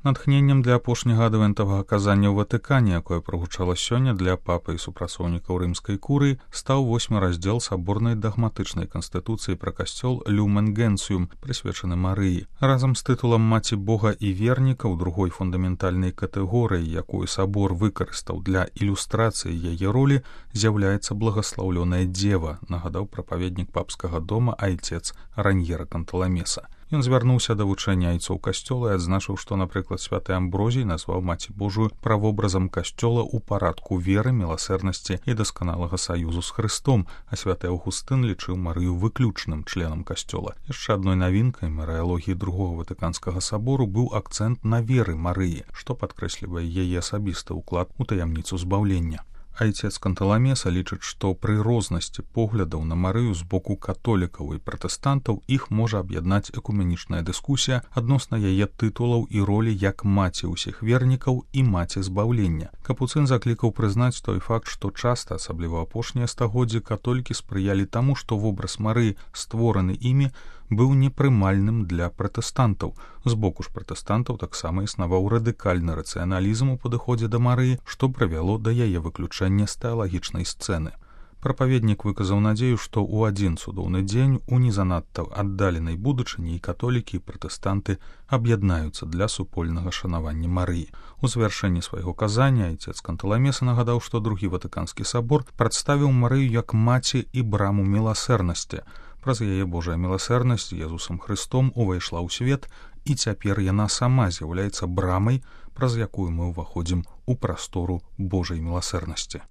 Натхненнем для апошняга адвентавага казання ў Ватыкане, якое прагучала сёння для папы і супрацоўнікаў рымскай курыі, стаў 8 раздзел саборнай дагматычнай канстытуцыі пра касцёл Люмен Генціум, прысвечаны Марыі. Разам з тытулам «Маці Бога і верніка» ў другой фундаментальнай катэгорыі, якую сабор выкарыстаў для ілюстрацыі яе ролі, з'яўляецца благаслаўлёная дзева, нагадаў прапаведнік папскага дома айцец Раньера Канталамеса. Ён звярнуўся да вучэння айцоў касцёла і адзначыў, што, напрыклад, святы Амброзій назваў Маці Божую правобразам касцёла ў парадку веры, міласэрнасці і дасканалага саюзу з Хрыстом, а святы Аўгустын лічыў Марыю выключным членам касцёла. Яшчэ адной навінкай марыялогіі другога Ватыканскага сабору быў акцэнт на веры Марыі, што падкрэслівае яе асабісты ўклад у таямніцу збаўлення. Айцец Канталамеса лічыць, што пры рознасці поглядаў на Марыю з боку католікаў і пратэстантаў іх можа аб'яднаць экуменічная дыскусія адносна яе тытулаў і ролі як маці ўсіх вернікаў і маці збаўлення. Капуцын заклікаў прызнаць той факт, што часта, асабліва апошнія стагоддзі, католікі спрыялі таму, што вобраз Марыі, створаны імі, быў непрымальным для пратэстантаў. З боку ж пратэстантаў таксама існаваў радыкальны рацыяналізм у падыходзе да Марыі, што прывяло да яе выключэння з тэалагічнай сцэны. Прапаведнік выказаў надзею, што ў адзін цудоўны дзень у незанадта аддаленай будучыні і католікі і пратэстанты аб'яднаюцца для супольнага шанавання Марыі. У завяршэнні свайго казання айцец Канталамеса нагадаў, што другі Ватыканскі сабор прадставіў Марыю як маці і браму міласэрнасці. Праз яе Божая міласэрнасць з Езусам Хрыстом увайшла ў свет, і цяпер яна сама з'яўляецца брамай, праз якую мы ўваходзім у прастору Божай міласэрнасці.